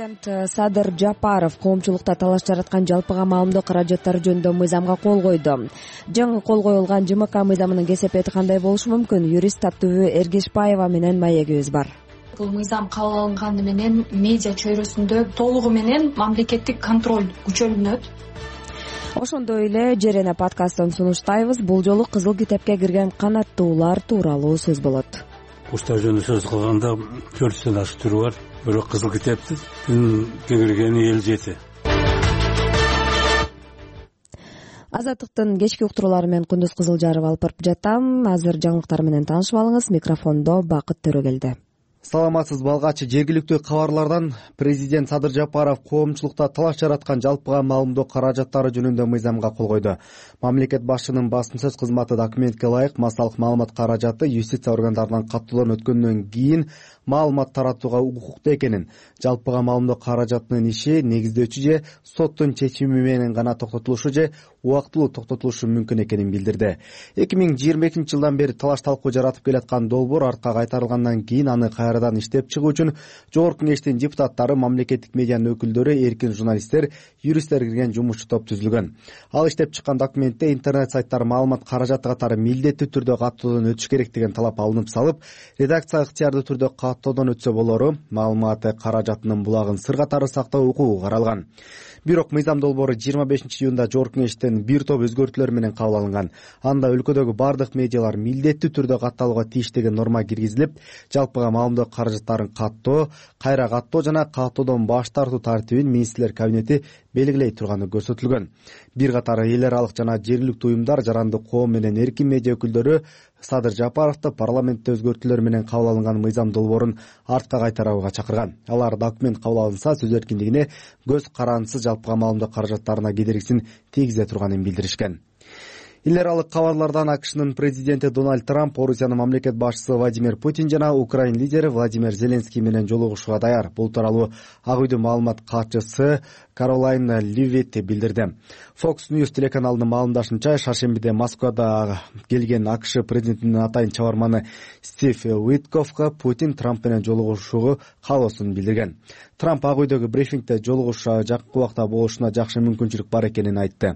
Президент Садыр Жапаров коомчулукта талаш жараткан жалпыга маалымдоо каражаттары жөнүндө мыйзамга кол койду. Жаңы кол коюлган ЖМК мыйзамынын кесепети кандай болушу мүмкүн? Юрист Аттүбү Эргешбаева менен маегибиз бар. Бул мыйзам кабыл алынганы менен медиа чөйрөсүндө толугу менен мамлекеттик контроль күчөлүнөт. Ошондой эле Жерене подкастын сунуштайбыз. Бул жолу Кызыл китепке кирген канаттуулар тууралуу сөз болот. Ушта жөнүндө сөз кылганда 400 ашык түрү бар. Бирок Кызыл китептин кеңиргени 57. Азаттыктын кечки уктуруулары менен Кундуз Кызылжарова алып барып жатам. Азыр жаңылыктар менен таанышып алыңыз. Микрофондо Бакыт Төрөгелди. Саламатсыз балгачы. Жергиликтүү кабарлардан президент Садыр Жапаров коомчулукта талаш жараткан жалпыга маалымдоо каражаттары жөнүндө мыйзамга кол койду. Мамлекет башчынын басым сөз кызматы документке ылайык массалык маалымат каражаты юстиция органдарынан каттоодон өткөндөн кийин маалымат таратууга укуктуу экенин, жалпыга маалымдоо каражатынын иши негиздөөчү же соттун чечими менен гана токтотулушу же убактылуу токтотулушу мүмкүн экенин билдирди. 2022 жылдан бери талаш талкуу жаратып келаткан долбоор артка кайтарылгандан кийин аны кайрадан иштеп чыгуу үчүн Жогорку Кеңештин депутаттары, мамлекеттик медианын өкүлдөрү, эркин журналисттер, юристтер кирген жумушчу топ түзүлгөн. Ал иштеп чыккан документте интернет сайттар маалымат каражаты катары милдеттүү түрдө каттоодон өтүш керек деген талап алынып салып, редакция ыктыярдуу түрдө каттоодон өтсө болору, маалымат каражатынын булагын сыр катары сактоо укугу каралган. Бирок мыйзам долбоору 25-июнда Жогорку Кеңештен бир топ өзгөртүүлөр менен кабыл алынган. Анда өлкөдөгү бардык медиалар милдеттүү түрдө катталууга тийиш деген норма киргизилип, жалпыга маалымдоо каражаттарын каттоо, кайра каттоо жана каттоодон баш тартуу тартибин министрлер кабинети белгилей турганы көрсөтүлгөн. Бир катар эл аралык жана жергиликтүү уюмдар, жарандык коом менен эркин медиа өкүлдөрү Садыр Жапаровду парламентте өзгөртүүлөр менен кабыл алынган мыйзам долбоорун артка кайтарууга чакырган. Алар документ кабыл алынса сөз эркиндигине көз карандысыз жалпыга маалымдоо каражаттарына кедергисин тийгизе турганын билдиришкен. Эл аралык кабарлардан АКШнын президенти Дональд Трамп Орусиянын мамлекет башчысы Владимир Путин жана Украин лидери Владимир Зеленский менен жолугушууга даяр. Бул тууралуу Ак үйдүн маалымат катчысы Каролайн Ливетти билдирди. Fox News телеканалынын маалымдашынча, шаршембиде Москвада келген АКШ президентинин атайын чабарманы Стив Уиткоффко Путин Трамп менен жолугушууга каалоосун билдирген. Трамп Ак үйдөгү брифингде жолугушуу жакын убакта болушуна жакшы мүмкүнчүлүк бар экенин айтты.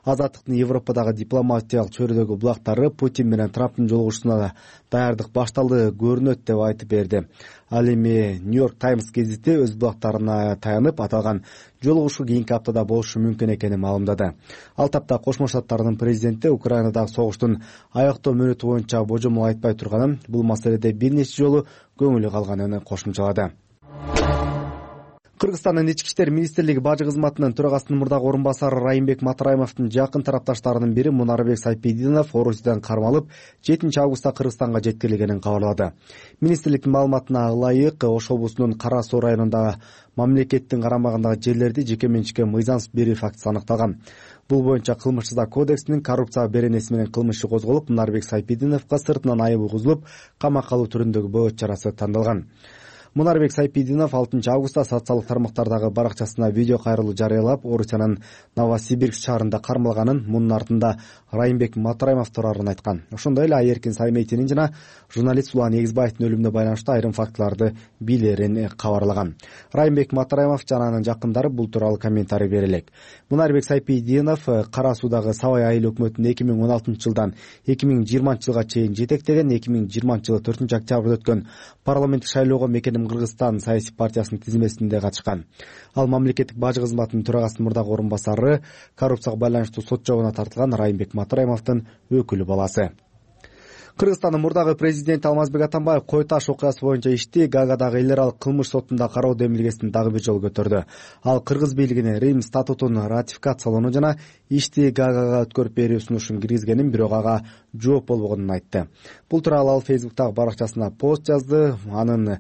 Азаттыктын Европадагы дипломатиялык чөйрөдөгү булактары Путин менен Трамптын жолугушуусуна даярдык башталды көрүнөт деп айтып берди. Ал эми Нью-Йорк Таймс гезити өз булактарына таянып аталган жолугушуу кийинки аптада болушу мүмкүн экенин маалымдады. Ал тапта Кошмо Штаттардын президенти Украинадагы согуштун аяктоо мөөнөтү боюнча божомол айтпай турганын, бул маселеде бир нече жолу көңүлү калганын кошумчалады. Кыргызстандын ички иштер министрлиги бажы кызматынын төрагасынын мурдагы орун басары Райымбек Матраимовдун жакын тарапташтарынын бири Мунарбек Сайпидинов Орусиядан кармалып 7 августта Кыргызстанга жеткирилгенин кабарлады. Министрликтин маалыматына ылайык, Ош облусунун Кара Суу районундагы мамлекеттин карамагындагы жерлерди жеке менчикке мыйзамсыз берүү фактысы аныкталган. Бул боюнча Кылмыш жаза кодексинин коррупция беренеси менен кылмыш иши козголуп, Мунарбек Сайпидиновго сыртынан айып угузулуп, камакка алуу түрүндөгү бөгөт чарасы тандалган. Мунарбек Сайпидинов 6 августта социалдык тармактардагы баракчасына видео кайрылуу жарыялап, Орусиянын Новосибирск шаарында кармалганын, мунун артында Райымбек Матраимов турарын айткан. Ошондой эле Айеркин Саймейтинин жана журналист Улан Эгизбаевдин өлүмүнө байланыштуу айрым фактыларды билерин кабарлаган. Райымбек Матраимов жана анын жакындары бул тууралуу комментарий бере элек. Мунарбек Сайпидинов Кара Суудагы Сабай айыл өкмөтүн 2016 жылдан 2020 жылга чейин жетектеген, 2020 жылы 4 октябрда өткөн парламенттик шайлоого Мекеним Кыргызстан саясий партиясынын тизмесинде катышкан. Ал мамлекеттик бажы кызматынын төрагасынын мурдагы орун басары, коррупцияга байланыштуу сот жообуна тартылган Райымбек Матраимовдун өкүлү баласы. Кыргызстандын мурдагы президенти Алмазбек Атамбаев Кой Таш окуясы боюнча ишти Гаагадагы эл аралык кылмыш сотунда кароо демилгесин дагы бир жолу көтөрдү. Ал кыргыз бийлигине Рим статутун ратификациялоону жана ишти Гаагага өткөрүп берүү сунушун киргизгенин, бирок ага жооп болбогонун айтты. Бул тууралуу ал Фейсбуктагы баракчасына пост жазды. Анын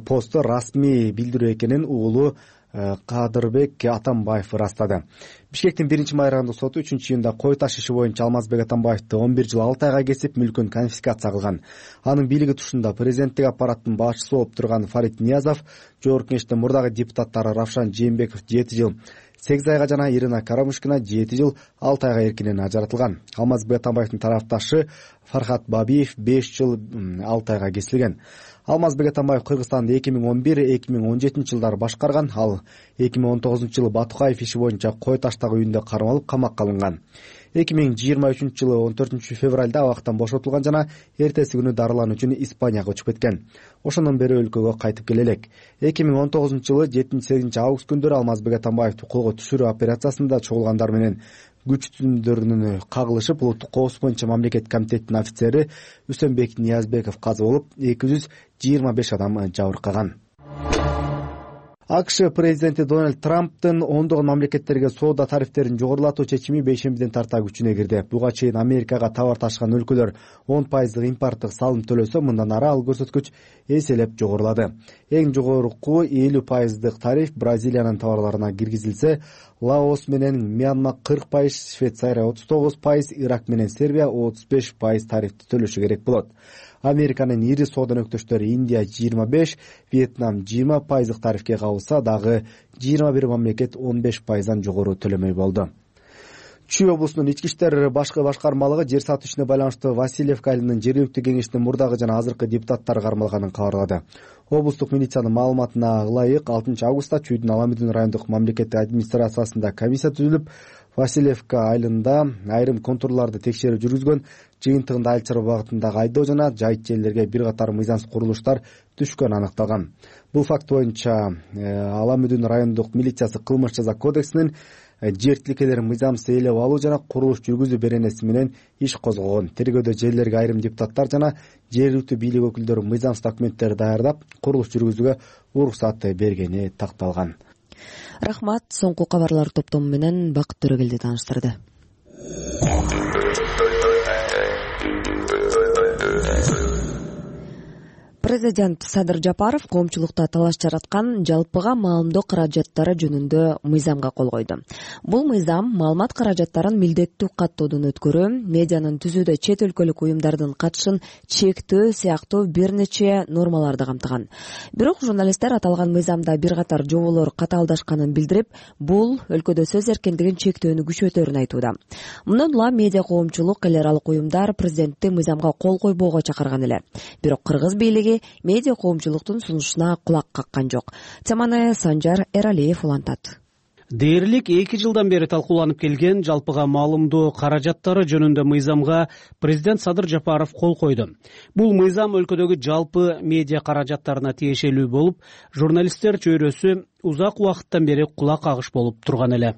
посту расмий билдирүү экенин уулу Кадырбек Атамбаев ырастады. Бишкектин 1-майрандык соту 3-июнда Кой Таш иши боюнча Алмазбек Атамбаевди 11 жыл 6 айга кесип, мүлкүн конфискация кылган. Анын бийлиги тушунда президенттик аппараттын башчысы болуп турган Фарид Ниязов, Жогорку Кеңештин мурдагы депутаттары Равшан Жээнбеков 7 жыл 8 айга жана Ирина Карамушкина 7 жыл 6 айга эркинен ажыратылган. Алмазбек Атамбаевдин тарапташы Фархат Бабиев 5 жыл 6 айга кесилген. Алмазбек Атамбаев Кыргызстанды 2011-2017 жылдары башкарган. Ал 2019 жылы Батукаев иши боюнча кой таштагы үйүндө кармалып камакка алынган. 2023 жылы 14 февралда абактан бошотулган жана эртеси күнү дарылануу үчүн Испанияга учуп кеткен. Ошондон бери өлкөгө кайтып келе элек. 2019 жылы 7-8 август күндөрү Алмазбек Атамбаевди колго түшүрүү операциясында чогулгандар менен күч түзүмдөрүнүн кагылышып, улуттук коопсуздук боюнча мамлекеттик комитеттин офицери Үсөнбек Ниязбеков каза болуп, 225 адам жабыркаган. АКШ президенти Дональд Трамптын ондогон мамлекеттерге соода тарифтерин жогорулатуу чечими бейшембиден тарта күчүнө кирди. Буга чейин Америкага товар ташыган өлкөлөр 10% импорттук салым төлөсө, мындан ары ал көрсөткүч эселеп жогорулады. Эң жогорку 50% тариф Бразилиянын товарларына киргизилсе, Лаос менен Мьянма 40%, Швейцария 39%, Ирак менен Сербия 35% тарифти төлөшү керек болот. Американын ири соода өнөктөштөрү Индия 25, Вьетнам 20% тарифке кабылса, дагы 21 мамлекет 15%дан жогору төлөмөй болду. Чүй облусунун ички иштер башкармалыгы жер сатуу ишине байланыштуу Васильевка айылынын жергиликтүү кеңештин мурдагы жана азыркы депутаттары кармалганын кабарлады. Облустук милициянын маалыматына ылайык 6 августта Чүйдүн Аламүдүн райондук мамлекеттик администрациясында комиссия түзүлүп, Васильевка айылында айрым контурларды текшерүү жүргүзгөн, жыйынтыгында айыл чарба багытындагы айдоо жана жайыт жерлерге бир катар мыйзамсыз курулуштар түшкөнү аныкталган. Бул факт боюнча Аламүдүн райондук милициясы кылмыш жаза кодексинин жер тилкелерин мыйзамсыз ээлеп алуу жана курулуш жүргүзүү беренеси менен иш козгогон. Тергөөдө жерлерге айрым депутаттар жана жергиликтүү бийлик өкүлдөрү мыйзамсыз документтерди даярдап, курулуш жүргүзүүгө уруксат бергени такталган. Рахмат. Соңку кабарлар топтому менен Бакыт Төрөгелди тааныштырды. Президент Садыр Жапаров коомчулукта талаш жараткан жалпыга маалымдоо каражаттары жөнүндө мыйзамга кол койду. Бул мыйзам маалымат каражаттарын милдеттүү каттоодон өткөрүү, медианын түзүүдө чет өлкөлүк уюмдардын катышын чектөө сыяктуу бир нече нормаларды камтыган. Бирок журналисттер аталган мыйзамда бир катар жоболор катаалдашканын билдирип, бул өлкөдө сөз эркиндигин чектөөнү күчөтөрүн айтууда. Мындан улам медиа коомчулук, эл аралык уюмдар президентти мыйзамга кол койбоого чакырган эле. Бирок кыргыз бийлиги медиа коомчулуктун сунушуна кулак каккан жок. Теманы Санжар Эралиев улантат. Дээрлик 2 жылдан бери талкууланып келген жалпыга маалымдоо каражаттары жөнүндө мыйзамга президент Садыр Жапаров кол койду. Бул мыйзам өлкөдөгү жалпы медиа каражаттарына тиешелүү болуп, журналисттер чөйрөсү узак убакыттан бери кулак кагыш болуп турган эле.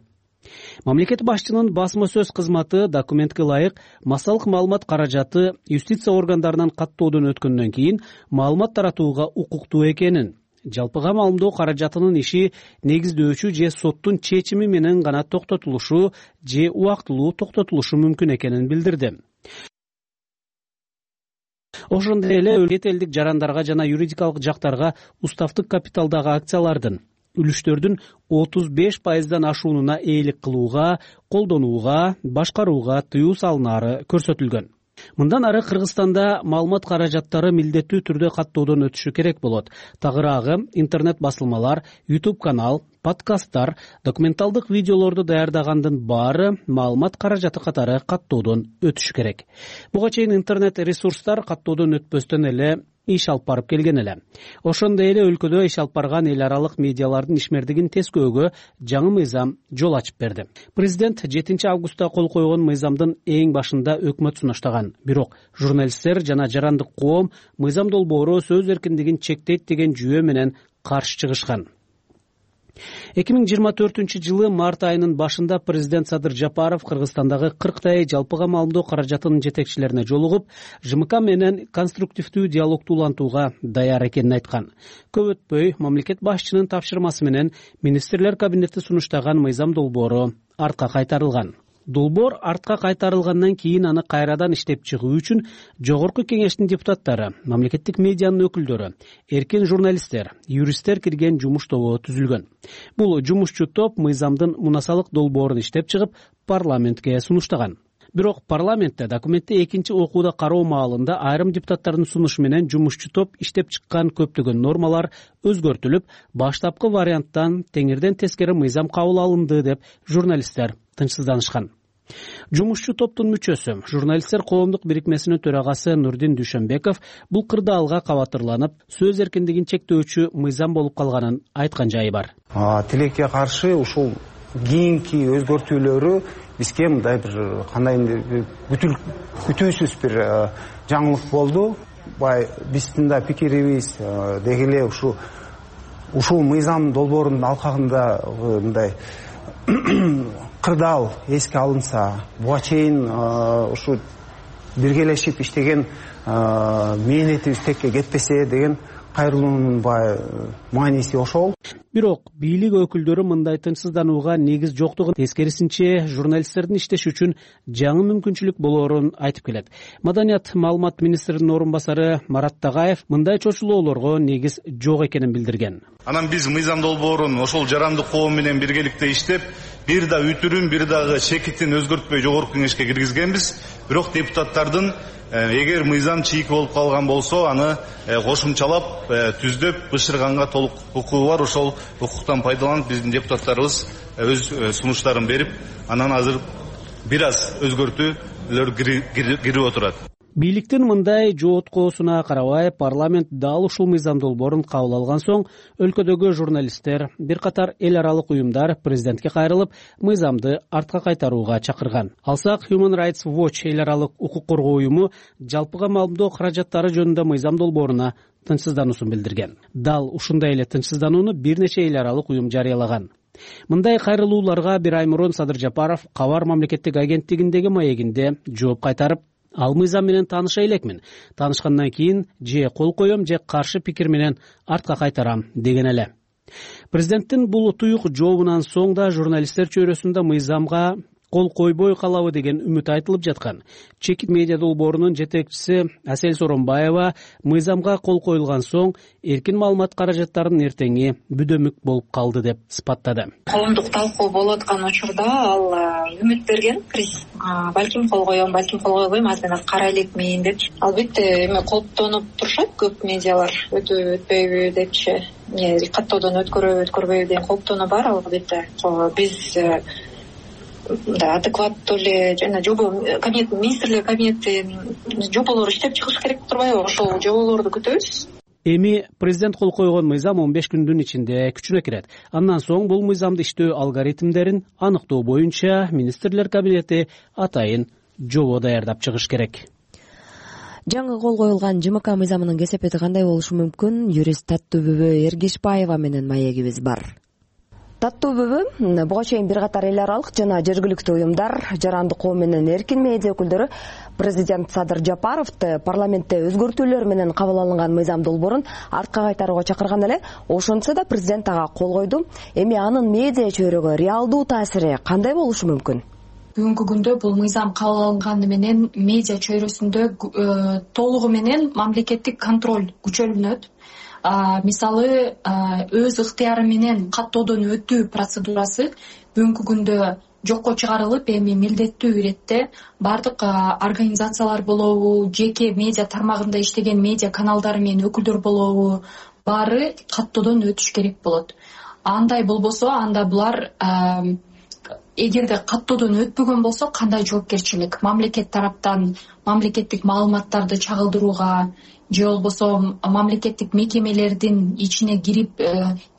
Мамлекет башчынын басма сөз кызматы документке ылайык массалык маалымат каражаты юстиция органдарынан каттоодон өткөндөн кийин маалымат таратууга укуктуу экенин, жалпыга маалымдоо каражатынын иши негиздөөчү же соттун чечими менен гана токтотулушу же убактылуу токтотулушу мүмкүн экенин билдирди. Ошондой эле чет элдик жарандарга жана юридикалык жактарга уставдык капиталдагы акциялардын үлүштөрдүн 35%дан ашуунуна ээлик кылууга, колдонууга, башкарууга тыюу салынары көрсөтүлгөн. Мындан ары Кыргызстанда маалымат каражаттары милдеттүү түрдө каттоодон өтүшү керек болот. Тагыраагы интернет басылмалар, YouTube канал, подкасттар, документалдык видеолорду даярдагандын баары маалымат каражаты катары каттоодон өтүшү керек. Буга чейин интернет ресурстар каттоодон өтпөстөн эле иш алып барып келген эле. Ошондой эле өлкөдө иш алып барган эл аралык медиалардын ишмердигин тескөөгө жаңы мыйзам жол ачып берди. Президент 7 августта кол койгон мыйзамдын эң башында өкмөт сунуштаган. Бирок журналисттер жана жарандык коом мыйзам долбоору сөз эркиндигин чектейт деген жүйө менен каршы чыгышкан. 2024 жылы март айынын башында президент Садыр Жапаров Кыргызстандагы 40 жалпыга маалымдоо каражатынын жетекчилерине жолугуп, ЖМК менен конструктивдүү диалогду улантууга даяр экенин айткан. Көп өтпөй мамлекет башчынын тапшырмасы менен министрлер кабинети сунуштаган мыйзам долбоору артка кайтарылган. Долбоор артка кайтарылгандан кийин аны кайрадан иштеп чыгуу үчүн жогорку кеңештин депутаттары, мамлекеттик медианын өкүлдөрү, эркин журналисттер, юристтер кирген жумуш тобу түзүлгөн. Бул жумушчу топ мыйзамдын мунасалык долбоорун иштеп чыгып, парламентке сунуштаган. Бирок парламентте документти экинчи окууда кароо маалында айрым депутаттардын сунушу менен жумушчу топ иштеп чыккан көптөгөн нормалар өзгөртүлүп, баштапкы варианттан теңирден тескери мыйзам кабыл алынды деп журналисттер тынчсызданышкан. Жумушчу топтун мүчөсү, журналисттер коомдук бирикмесинин төрагасы Нурдин Дүйшөнбеков бул кырдаалга кабатырланып, сөз эркиндигин чектөөчү мыйзам болуп калганын айткан жайы бар. Тилекке каршы ушул кийинки өзгөртүүлөрү бизге мындай бир кандайдыр күтүүсүз бир жаңылык болду. Биздин да пикирибиз деги эле ушул мыйзам долбоорунун алкагында мындай кырдаал эске алынса, буга чейин ушу биргелешип иштеген мээнетибиз текке кетпесе деген кайрылуунун мааниси ошол. Бирок бийлик өкүлдөрү мындай тынчсызданууга негиз жоктугун, тескерисинче журналисттердин иштеш үчүн жаңы мүмкүнчүлүк болоорун айтып келет. Маданият маалымат министринин орун басары Марат Тагаев мындай чочулоолорго негиз жок экенин билдирген. Анан биз мыйзам долбоорун ошол жарандык коом менен биргеликте иштеп, бир да үтүрүн, бир дагы чекитин өзгөртпөй жогорку кеңешке киргизгенбиз. Бирок депутаттардын эгер мыйзам чийик болуп калган болсо, аны кошумчалап, түздөп бышырганга толук укугу бар. Ошол укуктан пайдаланып биздин депутаттарыбыз өз сунуштарын берип, анан азыр бир аз өзгөртүүлөр кирип отурат. Бийликтин мындай жооткоосуна карабай, парламент дал ушул мыйзам долбоорун кабыл алган соң, өлкөдөгү журналисттер, бир катар эл аралык уюмдар президентке кайрылып, мыйзамды артка кайтарууга чакырган. Алсак, Human Rights Watch эл аралык укук коргоо уюму жалпыга маалымдоо каражаттары жөнүндө мыйзам долбооруна тынчсыздануусун билдирген. Дал ушундай эле тынчсызданууну бир нече эл аралык уюм жарыялаган. Мындай кайрылууларга бир ай мурун Садыр Жапаров Кабар мамлекеттик агенттигиндеги маегинде жооп кайтарып, ал мыйзам менен тааныша элекмин. Таанышкандан кийин же кол коем, же каршы пикир менен артка кайтарам деген эле. Президенттин бул туюк жообунан соң да журналисттер чөйрөсүндө мыйзамга кол койбой калабы деген үмүт айтылып жаткан. Чекит медиа долбоорунун жетекчиси Асель Соронбаева мыйзамга кол коюлган соң эркин маалымат каражаттарынын эртеңи бүдөмүк болуп калды деп сыпаттады. Коомдук талкуу болуп аткан учурда ал үмүт берген. Балким кол коем, балким кол койбойм, азыр кара элекмин деп. Албетте эме кооптонуп турушат көп медиалар, өтпөйбү депчи, каттоодон өткөрбөйбү деген кооптонуу бар. Албетте биз адекваттуу эле жана министрлер кабинети жоболор иштеп чыгыш керек турбайбы? Ошол жоболорду күтөбүз. Эми президент кол койгон мыйзам 15 күндүн ичинде күчүнө кирет. Андан соң бул мыйзамды иштөө алгоритмдерин аныктоо боюнча министрлер кабинети атайын жобо даярдап чыгыш керек. Жаңы кол коюлган ЖМК мыйзамынын кесепети кандай болушу мүмкүн? Юрист Таттуубүбү Эргешбаева менен маегибиз бар. Таттуубүбү, буга чейин бир катар эл аралык жана жергиликтүү уюмдар, жарандык коом менен эркин медиа өкүлдөрү президент Садыр Жапаровду парламентте өзгөртүүлөр менен кабыл алынган мыйзам долбоорун артка кайтарууга чакырган эле. Ошентсе да президент ага кол койду. Эми анын медиа чөйрөгө реалдуу таасири кандай болушу мүмкүн? Бүгүнкү күндө бул мыйзам кабыл алынганы менен медиа чөйрөсүндө толугу менен мамлекеттик контроль күчөлүнөт. Мисалы, өз ыктыяры менен каттоодон өтүү процедурасы бүгүнкү күндө жокко чыгарылып, эми милдеттүү иретте бардык организациялар болобу, жеке медиа тармагында иштеген медиа каналдары менен өкүлдөр болобу, баары каттоодон өтүш керек болот. Андай болбосо, анда булар эгерде каттоодон өтпөгөн болсо, кандай жоопкерчилик? Мамлекет тараптан мамлекеттик маалыматтарды чагылдырууга же болбосо мамлекеттик мекемелердин ичине кирип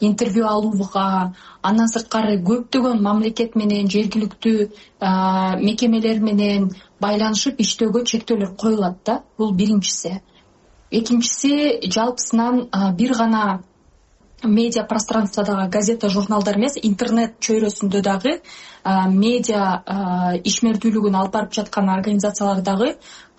интервью алууга, андан сырткары көптөгөн мамлекет менен жергиликтүү мекемелер менен байланышып иштөөгө чектөөлөр коюлат да. Бул биринчиси. Экинчиси, жалпысынан бир гана медиа пространстводагы газета, журналдар эмес, интернет чөйрөсүндө дагы медиа ишмердүүлүгүн алып барып жаткан организациялар дагы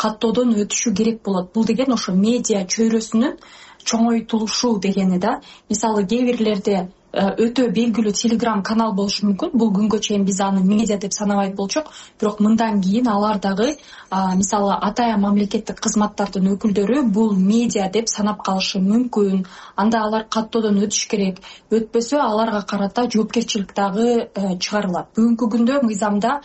каттоодон өтүшү керек болот. Бул деген ошо медиа чөйрөсүнүн чоңойтулушу дегени да. Мисалы, кээ бирлерде өтө белгилүү Telegram канал болушу мүмкүн. Бул күнгө чейин биз аны медиа деп санабайт болчок, бирок мындан кийин алар дагы мисалы атайын мамлекеттик кызматтардын өкүлдөрү бул медиа деп санап калышы мүмкүн. Анда алар каттоодон өтүш керек. Өтпөсө аларга карата жоопкерчилик дагы чыгарылат. Бүгүнкү күндө мыйзамда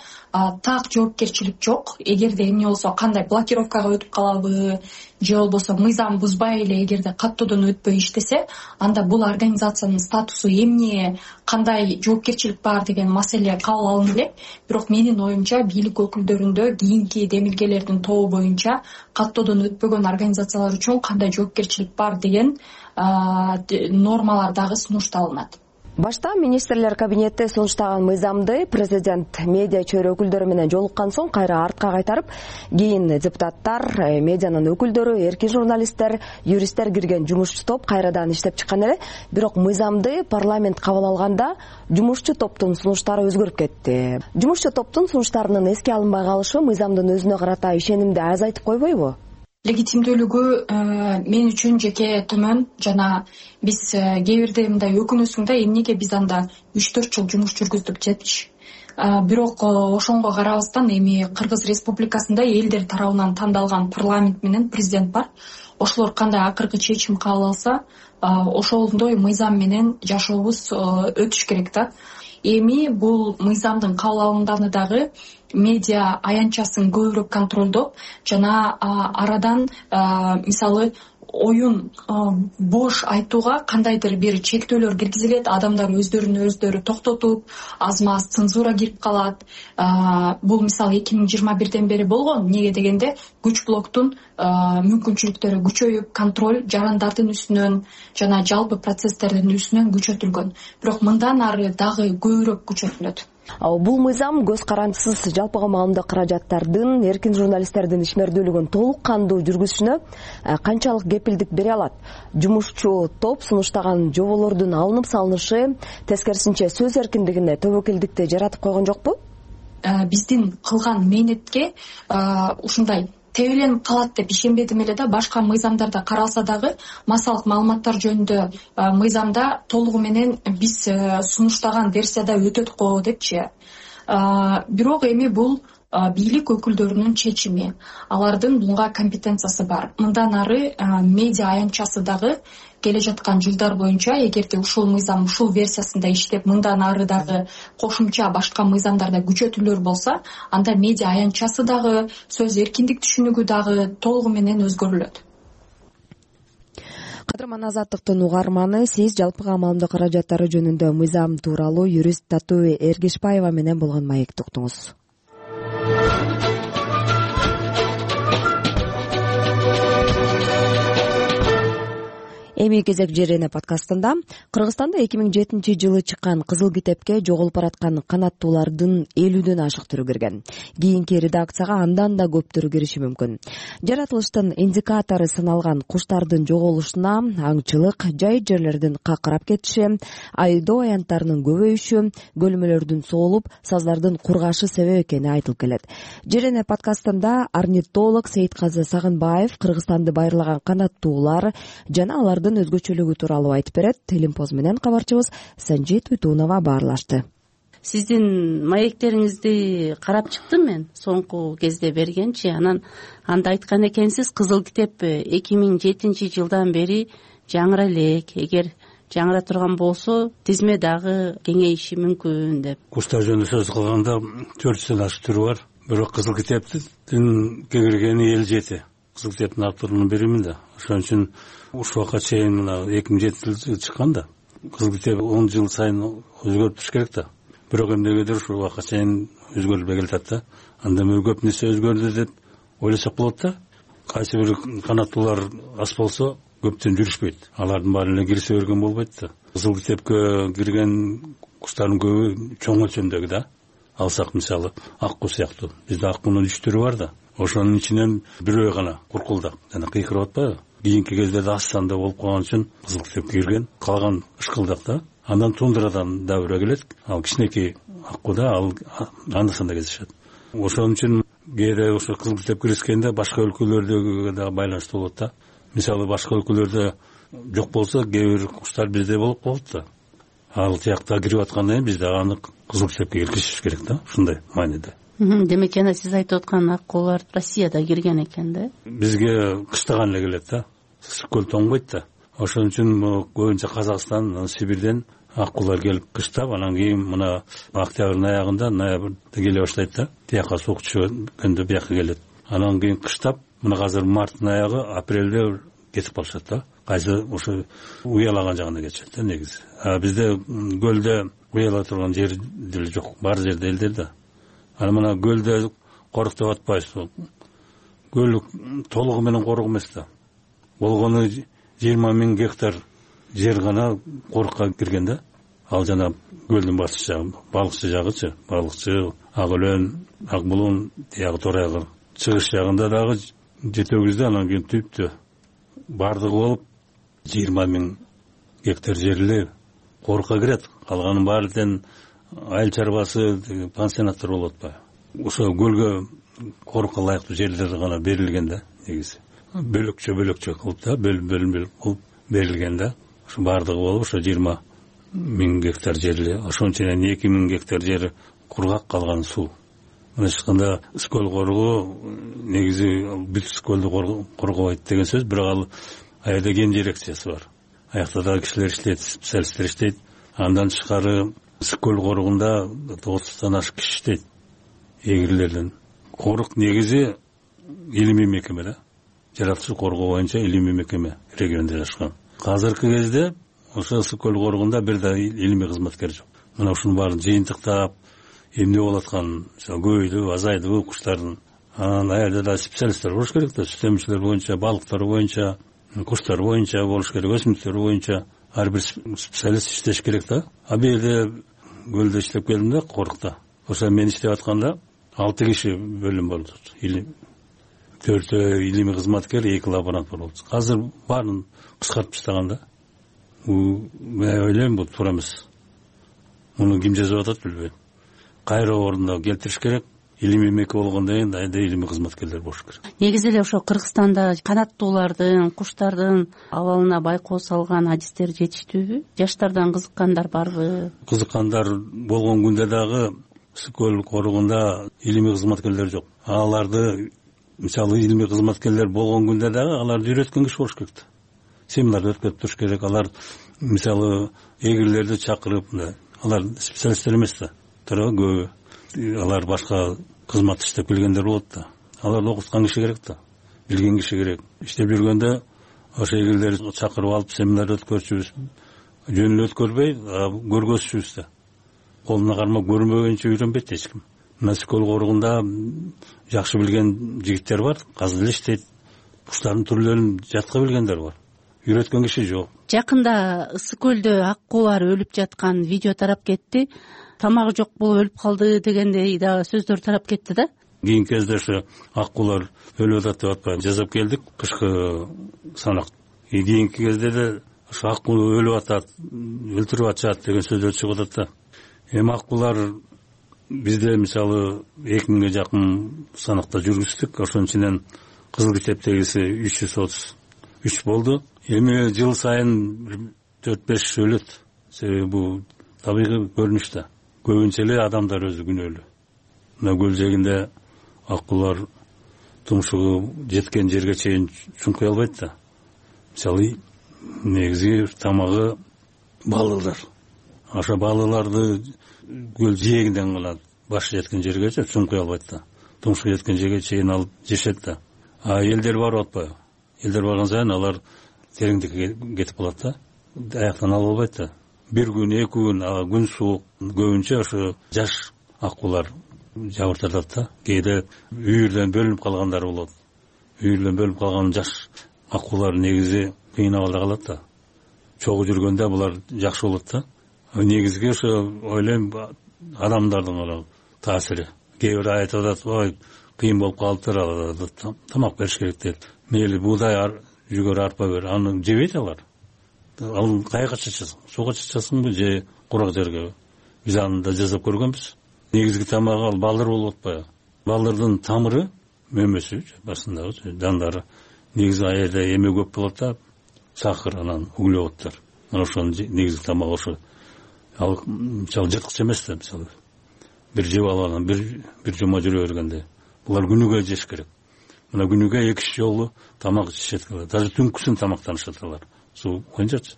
так жоопкерчилик жок. Эгерде эмне болсо, кандай блокировкага өтүп калабы, же болбосо мыйзам бузбай эле эгерде каттоодон өтпөй иштесе, анда бул организациянын статусу эмне кандай жоопкерчилик бар деген маселе кабыл алынды элек. Бирок менин оюмча бийлик өкүлдөрүндө кийинки демилгелердин тобу боюнча каттоодон өтпөгөн организациялар үчүн кандай жоопкерчилик бар деген нормалар дагы сунушталынат. Башта министрлер кабинети сунуштаган мыйзамды президент медиа чөйрө өкүлдөрү менен жолуккан соң кайра артка кайтарып, кийин депутаттар, медианын өкүлдөрү, эркин журналисттер, юристтер кирген жумушчу топ кайрадан иштеп чыккан эле. Бирок мыйзамды парламент кабыл алганда жумушчу топтун сунуштары өзгөрүп кетти. Жумушчу топтун сунуштарынын эске алынбай калышы мыйзамдын өзүнө карата ишенимди азайтып койбойбу? Легитимдүүлүгү мен үчүн жеке төмөн жана биз кээ бирде мындай өкүнөсүң да эмнеге биз анда 3-4 жыл жумуш жүргүздүк депчи. Бирок ошонго карабастан эми Кыргыз Республикасында элдер тарабынан тандалган парламент менен президент бар. Ошолор кандай акыркы чечим кабыл алса, ошондой мыйзам менен жашообуз өтүш керек да. Эми бул мыйзамдын кабыл алынганы дагы медиа аянтчасын көбүрөөк контролдоп жана арадан мисалы оюн бош айтууга кандайдыр бир чектөөлөр киргизилет, адамдар өздөрүн токтотуп, аз маз цензура кирип калат. Бул мисалы 2021ден бери болгон. Эмнеге дегенде күч блоктун мүмкүнчүлүктөрү күчөйүп, контроль жарандардын үстүнөн жана жалпы процесстердин үстүнөн күчөтүлгөн. Бирок мындан ары дагы көбүрөөк күчөтүлөт. Бул мыйзам көз карандысыз жалпыга маалымдоо каражаттардын, эркин журналисттердин ишмердүүлүгүн толук кандуу жүргүзүшүнө канчалык кепилдик бере алат? Жумушчу топ сунуштаган жоболордун алынып салынышы тескерисинче сөз эркиндигине тобокелдикти жаратып койгон жокпу? Биздин кылган мээнетке ушундай тебеленип калат деп ишенбедим эле да. Башка мыйзамдарда каралса дагы массалык маалыматтар жөнүндө мыйзамда толугу менен биз сунуштаган версияда өтөт го депчи. Бирок эми бул бийлик өкүлдөрүнүн чечими, алардын буга компетенциясы бар. Мындан ары медиа аянтчасы дагы келе жаткан жылдар боюнча эгерде ушул мыйзам ушул версиясында иштеп, мындан ары дагы кошумча башка мыйзамдарда күчөтүүлөр болсо, анда медиа аянтчасы дагы, сөз эркиндик түшүнүгү дагы толугу менен өзгөрүлөт. Кадырман Азаттыктын угарманы, сиз жалпыга маалымдоо каражаттары жөнүндө мыйзам тууралуу юрист Татуу Эргешбаева менен болгон маекти уктуңуз. Эми кезек жерене подкастында Кыргызстанда 2007-жылы чыккан Кызыл китепке жоголуп бараткан канаттуулардын 50дөн ашык түрү кирген. Кийинки редакцияга андан да көптөрү кириши мүмкүн. Жаратылыштын индикатору саналган куштардын жоголушуна аңчылык, жай жерлердин какырап кетиши, айдоо аянттарынын көбөйүшү, көлмөлөрдүн соолуп, саздардын кургашы себеп экени айтылып келет. Жерене подкастында орнитолог Сейитказы Сагынбаев Кыргызстанды байырлаган канаттуулар жана алардын өзгөчөлүгү тууралуу айтып берет. Телимпоз менен кабарчыбыз Санжит Үтүнова баарлашты. Сиздин маектериңизди карап чыктым мен соңку кезде бергенчи. Анда айткан экенсиз, Кызыл китеп 2007-жылдан бери жаңыра элек. Эгер жаңыра турган болсо, тизме дагы кеңейиши мүмкүн деп. Куштар жөнүндө сөз кылганда 400дөн ашык түрү бар. Бирок Кызыл китептин кеңейгени 57. Кызыл китептин авторунун биримин да. Ошон үчүн ушул убакка чейин мына 2007-жылы чыккан да. Кызыл китеп 10 жыл сайын өзгөрүп туруш керек да. Бирок эмнегедир ушул убакка чейин өзгөрүлбөй келатат да. Анда көп нерсе өзгөрдү деп ойлосок болот да. Кайсы бир канаттуулар аз болсо көптөн жүрүшпөйт. Алардын баары эле кирсе берген болбойт да. Кызыл китепке кирген куштардын көбү чоң өлчөмдөгү да. Алсак мисалы акку сыяктуу. Бизде аккунун 3 түрү бар да. Ошонун ичинен бирөө гана куркулдак жана кыйкырып атпайбы? Кийинки кездерде аз санда болуп калган үчүн Кызыл китепке кирген. Калган ышкылдак да. Андан тундрадан да бирөө келет. Ал кичинекей аккуда анда-санда кездешет. Ошон үчүн кээде ошо Кызыл китеп киришкенде башка өлкөлөрдөгү да байланыштуу болот да. Мисалы башка өлкөлөрдө жок болсо, кээ бир куштар бизде болуп калат да. Ал тиякта кирип аткандан кийин бизде аны Кызыл китепке киргизиш керек да. Ушундай мааниде. Демек жана сиз айтып аткан аккулар Россияда кирген экен да? Бизге кыштаган эле келет да. Көл тоңбойт да. Ошон үчүн көбүнчө Казакстан, Сибирден аккулар келип кыштап, анан кийин мына октябрдын аягында, ноябрда келе баштайт да. Тияка суук түшкөндө бияка келет. Анан кийин кыштап, мына азыр марттын аягы, апрелде кетип калышат да. кайсы ошо уялаган жагына кетишет да негизи. Бизде көлдө уяла турган жер деле жок, бар жерде элдер да. Ана мына көлдө корук деп атпайбыз. Көл толугу менен корук эмес да. Болгону 20 000 гектар жер гана корукка кирген да. Ал жана көлдүн батыш жагы, балыкчы жагычы, балыкчы, Ак Өлөн, Ак Булун, тиягы Тор айгыр. Чыгыш жагында дагы жетөгүздө, анан кийин түптө бардыгы болуп 20 000 гектар жери корукка кирет. Калганын баары тең айыл чарбасы, пансионаттар болуп атпайбы. Ошо көлгө корукка ылайыктуу жерлер гана берилген да негизи. Бөлөкчө кылып да, бөлүм кылып берилген да. Ошо бардыгы болуп ошо 20 000 гектар жери, ошонченен 2 000 гектар жери кургак, калган суу. Мындайча айтканда Скөл коругу негизи бүт Скөлдү коргобойт деген сөз, бирок ал аерде кен дирекциясы бар. Аякта да кишилер иштейт, специалисттер иштейт. Андан тышкары Скөл коругунда 90-тан ашык киши иштейт. Эгирлерден. Корук негизи илимий мекеме да. Жаратылыш коргоо боюнча илимий мекеме региондо жашкан. Азыркы кезде ошо Скөл коругунда бир да илимий кызматкер жок. Мына ушунун баарын жыйынтыктап, эмне болуп аткан, көбөйдү, азайдыбы куштардын. Анан аерде да специалисттер болуш керек да, сүт эмчилер боюнча, балыктар боюнча, куштар боюнча болуш керек, өсүмдүктөр боюнча ар бир специалист иштеш керек да. Бул жерде көлдө иштеп келдим да, корукта. Ошо мен иштеп атканда 6 киши бөлүм болду. 4 илимий кызматкер, 2 лаборант болду. Азыр баарын кыскартып таштаган да. Мен ойлойм бул туура эмес. Муну ким жазып атат билбейм. Кайра ордуна келтириш керек. Илимий мекеме болгондон кийин айда илимий кызматкерлер болуш керек. Негизи эле ошо Кыргызстанда канаттуулардын, куштардын абалына байкоо салган адистер жетиштүүбү? Жаштардан кызыккандар барбы? Кызыккандар болгон күндө дагы Скөл коругунда илимий кызматкерлер жок. Аларды, мисалы, илимий кызматкерлер болгон күндө дагы аларды үйрөткөн киши болуш керек да. Семинар өткөрүп туруш керек. Алар, мисалы, эгирлерди чакырып, алар специалисттер эмес да. Көбү алар башка кызмат иштеп келгендер болот да. Аларды окуткан киши керек да. Билген киши керек. Иштеп жүргөндө ошо эгирлерди чакырып алып семинар өткөрчүбүз. Жөн эле өткөрбөй, көргөзчүбүз да. Колуна кармап көрмөгөнчө үйрөнбөйт эч ким. Мына Скөл коругунда жакшы билген жигиттер бар, азыр эле иштейт. Куштардын түрлөрүн жатка билгендер бар. Үйрөткөн киши жок. Жакында Скөлдө аккуулар өлүп жаткан видео тарап кетти. Тамагы жок болуп өлүп калды дегендей дагы сөздөр тарап кетти да. Кийинки кезде ошо аккуулар өлүп атат деп атпайбы, жазып келдик кышкы санак. Кийинки кезде да ошо аккуу өлүп атат, өлтүрүп атышат деген сөздөр чыгып атат да. Эми аккуулар бизде мисалы 2000ге жакын санакта жүргүздүк. Ошончунен кызыл китептегиси 333 болду. Эми жыл сайын 4-5 өлөт. Себеби бул табигый көрүнүш да. Көбүнчө эле адамдар өзү күнөөлүү. Мына көл жээгинде аккуулар тумшугу жеткен жерге чейин чуңкуй албайт да. Мисалы, негизи тамагы балыклар. Ошо балыкларды көл жээгинден гана башы жеткен жергече чуңкуй албайт да. Тумшугу жеткен жерге чейин алып жешет да. Элдер барып атпайбы? Элдер барган сайын алар тереңдикке кетип калат да. Аяктан ала албайт да. Bir gün, 2 gün, gün soğuk, көбүнчө ошо жаш аккуулар жабыртатат да. Кээде үйүрдөн бөлүнүп калгандар болот. Үйүрдөн бөлүнүп калган жаш аккуулар негизи кыйын абалда калат да. Чогуу жүргөндө булар жакшы болот да. Негизги ошо ойлойм адамдардын таасири. Кээ бир айтып атат, ой, кыйын болуп калыптыр, тамак бериш керек дейт. Мейли буудай, жүгөр, арпа бер, аны жебейт алар. Ал кайга чачасың? Суга чачасыңбы же курак жерге? Биз аны да жазып көргөнбүз. Негизги тамагы ал балдыр болуп атпайбы? Балдырдын тамыры, мөмөсү, басындагы жандары негизи аерде эме көп болот да, сахар, анан углеводдор. Мына ошонун негизги тамагы ошо. Ал мисалы жырткыч эмес да, мисалы. Бир жеп алып анан бир жума жүрө бергенде. Булар күнүгө жеш керек. Мына күнүгө 2 жолу тамак ичишет. Даже түнкүсүн тамактанышат алар. Суу койчучу.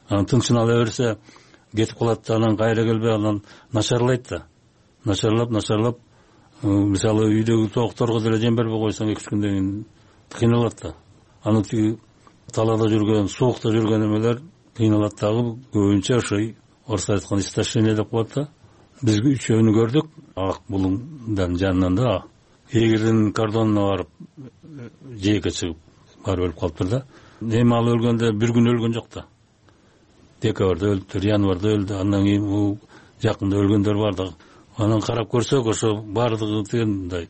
Анан тынчын ала берсе кетип калат, анан кайра келбей, анан начарлайт да. Начарлап, мисалы үйдөгү тоокторго деле жем бербей койсоң 2-3 күндөн кийин кыйналат да. Аны талаада жүргөн, суукта жүргөн эмелер кыйналат дагы, көбүнчө ошой орусча айтканда истощение деп коет да. Биз үчөөнү көрдүк Ак булуңдун жанынан да. Эгердин кордонуна барып жээкке чыгып барып өлүп калыптыр да. Эми ал өлгөндө bir күн өлгөн жок да. Декабрда өлүптүр, январда өлдү. Андан кийин бул жакында өлгөндөр бар да. Анан карап көрсөк, ошо баардыгы мындай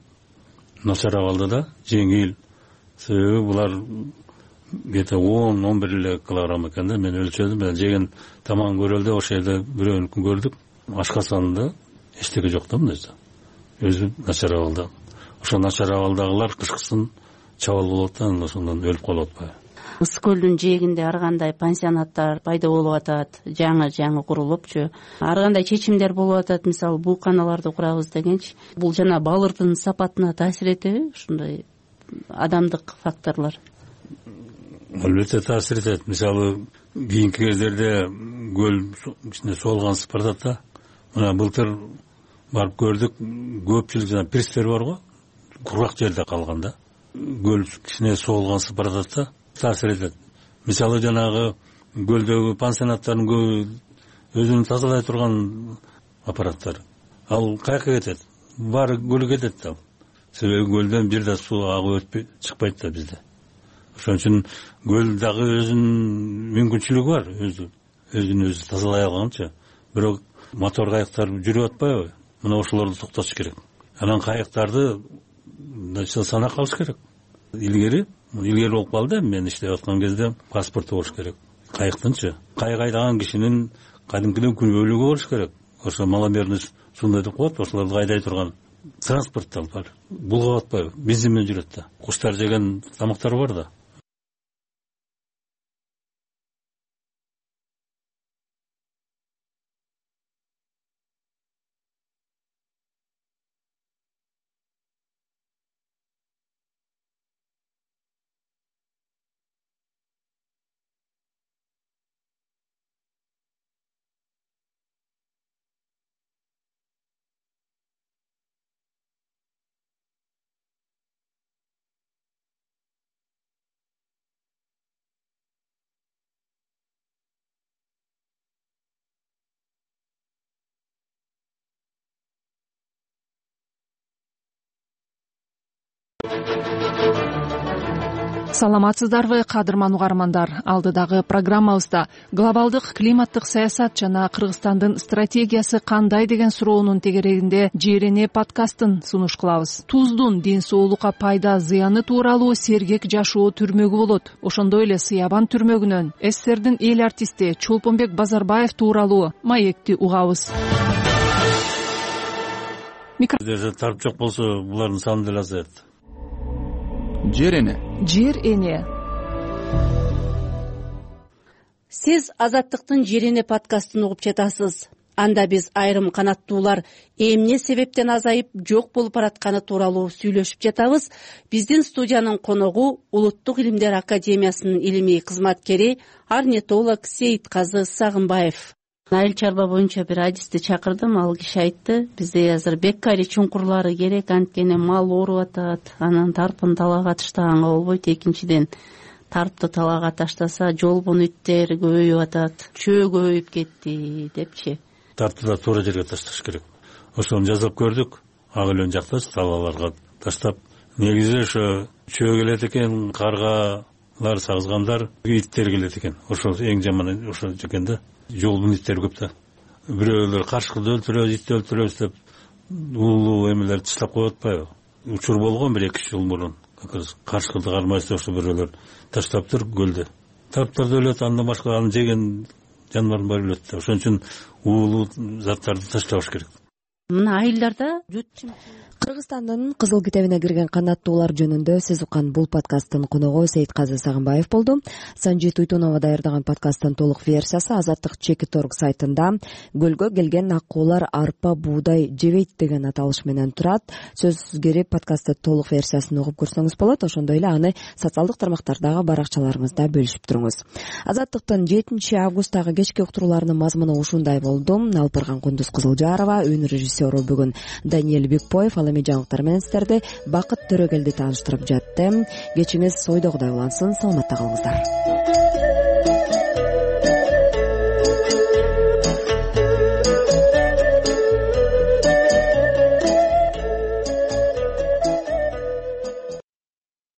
начар абалда да, жеңил. Себеби булар где-то 10-11 эле килограмм экен да. Мен өлчөдүм, мен жеген тамагын көрөлдө ошол жерде бирөөнүкүн көрдүк. Ашкасанында эчтеке жок да, мындайча. Өзү начар абалда. Ошо начар абалдагылар кышкысын чабал болот да, ошондон өлүп калып атпайбы. Ысык көлдүн жээгинде ар кандай пансионаттар пайда болуп атат, жаңы курулупчу. Ар кандай чечимдер болуп атат, мисалы бууканаларды курабыз дегенчи. Бул жана балырдын сапатына таасир этеби ушундай адамдык факторлор? Албетте таасир этет. Мисалы кийинки кездерде көл ичинде соолгансып баратат да. Мына былтыр барып көрдүк, көпчүлүк жана пирстер барго, кургак жерде калган да. Көл кичине соолгансып баратат да, таасир этет. Мисалы жанагы көлдөгү пансионаттардын көбү өзүн тазалай турган аппараттар. Ал каяка кетет? Баары көлгө кетет да. Себеби көлдөн бир да суу агып өтпөй чыкпайт да бизде. Ошон үчүн көл дагы өзүнүн мүмкүнчүлүгү бар, өзүн тазалай алганча. Бирок мотор кайыктар жүрүп атпайбы? Мына ошолорду токтотуш керек. Анан кайыктарды санак алыш керек. Илгери болуп калды, мен иштеп аткан кезде паспорту болуш керек. Кайыктынчы. Кайык айдаган кишинин кадимкиден күнөөлүгү болуш керек. Ошо маломерный сундай деп коет, ошолорду айдай турган транспорттар бар. Булгап атпайбы? Бензин менен жүрөт да. Куштар жеген тамактар бар да. Саламатсыздарбы, кадырман угармандар. Алдыдагы программабызда глобалдык климаттык саясат жана Кыргызстандын стратегиясы кандай деген суроонун тегерегинде Жерене подкастын сунуш кылабыз. Туздун ден соолукка пайда зыяны тууралуу сергек жашоо түрмөгү болот. Ошондой эле Сыябан түрмөгүнөн СССРдин эл артисти Чолпонбек Базарбаев тууралуу маекти угабыз. Тарып жок болсо булардын саны деле азаят. Жер эне. Сиз Азаттыктын Жер эне подкастын угуп жатасыз. Анда биз айрым канаттуулар эмне себептен азайып жок болуп баратканы тууралуу сүйлөшүп жатабыз. Биздин студиянын коногу Улуттук илимдер академиясынын илимий кызматкери орнитолог Сейитказы Сагынбаев. Айыл чарба боюнча бир адисти чакырдым, ал киши айтты, бизде азыр беккари чуңкурлары керек, анткени мал ооруп атат, анан тарпын талаага таштаганга болбойт. Экинчиден, тарпты талаага таштаса жолбон иттер көбөйүп атат, чөө көбөйүп кетти депчи. Тарпты да туура жерге ташташ керек. Ошону жазып көрдүк, ак элен жактачы талааларга таштап. Негизи ошо чөө келет экен, каргалар, сагызгандар, иттер келет экен. Ошол эң жаманы ошо экен да. Жолдун иттери көп да. Бирөөлөр каршкылды өлтүрөбүз, итти өлтүрөбүз деп улуу эмелерди таштап коюп атпайбы? Учур болгон 1-2 жыл мурун. Каршкылды кармайсыз ошо бирөөлөр таштаптыр көлдө. Тарптарды өлөт, андан башка аны жеген жаныбардын баары өлөт да. Ошон үчүн уулуу заттарды таштабаш керек. Мына айылдарда Кыргызстандын Кызыл китебине кирген канаттуулар жөнүндө сөз уккан бул подкасттын коногу Сейитказы Сагынбаев болду. Санжи Туйтунова даярдаган подкасттын толук версиясы Азаттык Чекиторг сайтында. Көлгө келген аккуулар арпа, буудай жебейт деген аталыш менен турат. Сөзгө подкастты толук версиясын угуп көрсөңүз болот. Ошондой эле аны социалдык тармактардагы баракчаларыңызда бөлүшүп туруңуз. Азаттыктын 7-августтагы кечки уктурууларынын мазмуну ушундай болду. Алпырган Кундуз Кызылжарова, үн режиссеру бүгүн Даниэль Бекпоев, ал эми жаңылыктар менен сиздерди Бакыт Төрөгелди тааныштырып жатты. Кечиңиз ойдогудай улансын, саламатта калыңыздар.